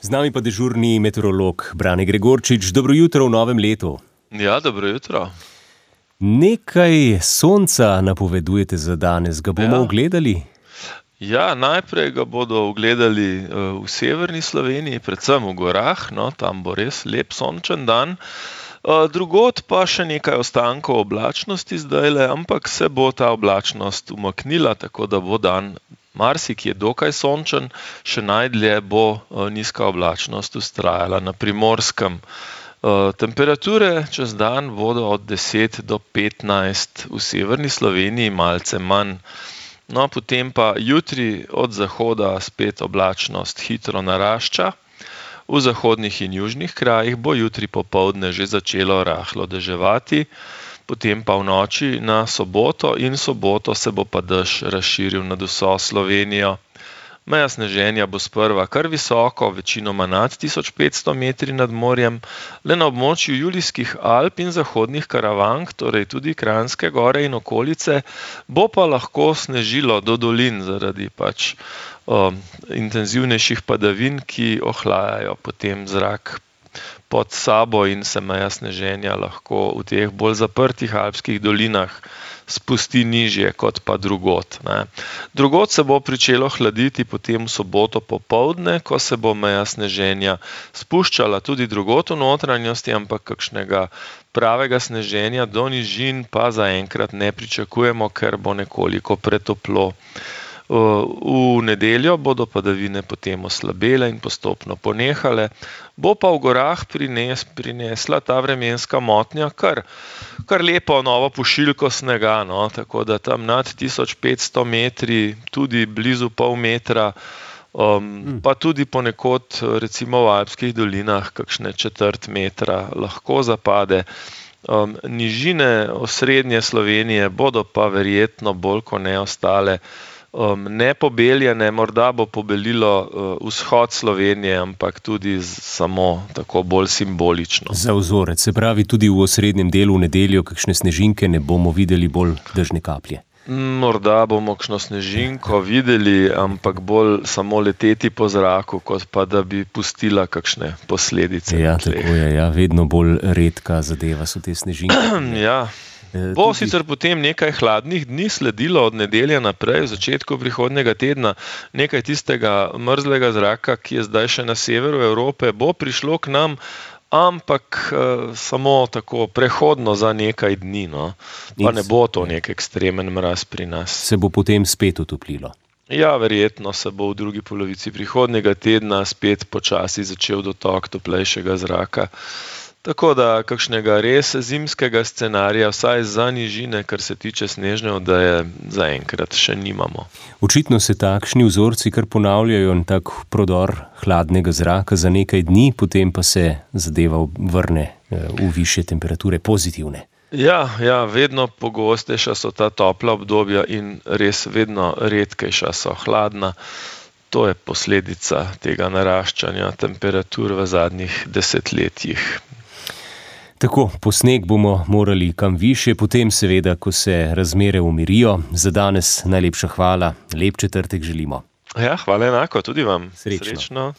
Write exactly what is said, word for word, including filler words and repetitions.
Z nami pa dežurni meteorolog Brane Gregorčič. Dobro jutro v novem letu. Ja, dobro jutro. Nekaj sonca napovedujete za danes. Ga bomo Ja. ugledali? Ja, najprej ga bodo ugledali uh, v severni Sloveniji, predvsem v gorah, no, tam bo res lep sončen dan. Uh, drugod pa še nekaj ostankov oblačnosti zdajle, ampak se bo ta oblačnost umaknila, tako da bo dan marsikje dokaj sončen, še najdlje bo uh, nizka oblačnost vztrajala na Primorskem. Uh, temperature čez dan bodo od deset do petnajst, v severni Sloveniji malce manj. No, potem pa jutri od zahoda spet oblačnost hitro narašča. V zahodnih in južnih krajih bo jutri popoldne že začelo rahlo deževati, potem pa v noči na soboto in soboto se bo pa dež razširil nad vso Slovenijo. Meja sneženja bo sprva kar visoko, večinoma nad tisoč petsto metri nad morjem, le na območju Julijskih Alp in zahodnih Karavank, torej tudi Kranjske gore in okolice, bo pa lahko snežilo do dolin zaradi pač um, intenzivnejših padavin, ki ohlajajo potem zrak pod sabo in se meja sneženja lahko v teh bolj zaprtih alpskih dolinah spusti nižje kot pa drugod. Ne. Drugod se bo pričelo hladiti potem v soboto popoldne, ko se bo meja sneženja spuščala tudi drugod v notranjosti, ampak kakšnega pravega sneženja do nižin pa zaenkrat ne pričakujemo, ker bo nekoliko pretoplo. V nedeljo bodo padavine potem oslabele in postopno ponehale, bo pa v gorah prines, prinesla ta vremenska motnja kar, kar lepo novo pošiljko snega, no, tako da tam nad tisoč petsto metri, tudi blizu pol metra, um, pa tudi ponekod recimo v alpskih dolinah kakšne četrt metra lahko zapade. Um, nižine osrednje Slovenije bodo pa verjetno bolj ko ne ostale Um, ne pobeljene, morda bo pobelilo uh, vzhod Slovenije, ampak tudi z, samo tako bolj simbolično. Za vzorec, se pravi tudi v osrednjem delu v nedeljo kakšne snežinke ne bomo videli, bolj dežne kaplje. Morda bomo kakšno snežinko videli, ampak bolj samo leteti po zraku, kot pa da bi pustila kakšne posledice. Ja, tako je, ja, vedno bolj redka zadeva so te snežinke. Ja. Bo sicer potem nekaj hladnih dni sledilo od nedelje naprej, v začetku prihodnjega tedna, nekaj tistega mrzlega zraka, ki je zdaj še na severu Evrope, bo prišlo k nam, ampak eh, samo tako prehodno za nekaj dni, no. Pa ne bo to nek ekstremen mraz pri nas. Se bo potem spet utoplilo? Ja, verjetno se bo v drugi polovici prihodnjega tedna spet počasi začel dotok toplejšega zraka. Tako da kakšnega res zimskega scenarija, vsaj za nižine, kar se tiče snežne odeje, zaenkrat še nimamo. Očitno se takšni vzorci kar ponavljajo in tak prodor hladnega zraka za nekaj dni, potem pa se zadeva vrne v višje temperature, pozitivne. Ja, ja, vedno pogostejša so ta topla obdobja in res vedno redkejša so hladna. To je posledica tega naraščanja temperatur v zadnjih desetletjih. Tako, po sneg bomo morali kam višje, potem seveda, ko se razmere umirijo. Za danes najlepša hvala, lep četrtek želimo. Ja, hvala enako, tudi vam. Srečno. Srečno.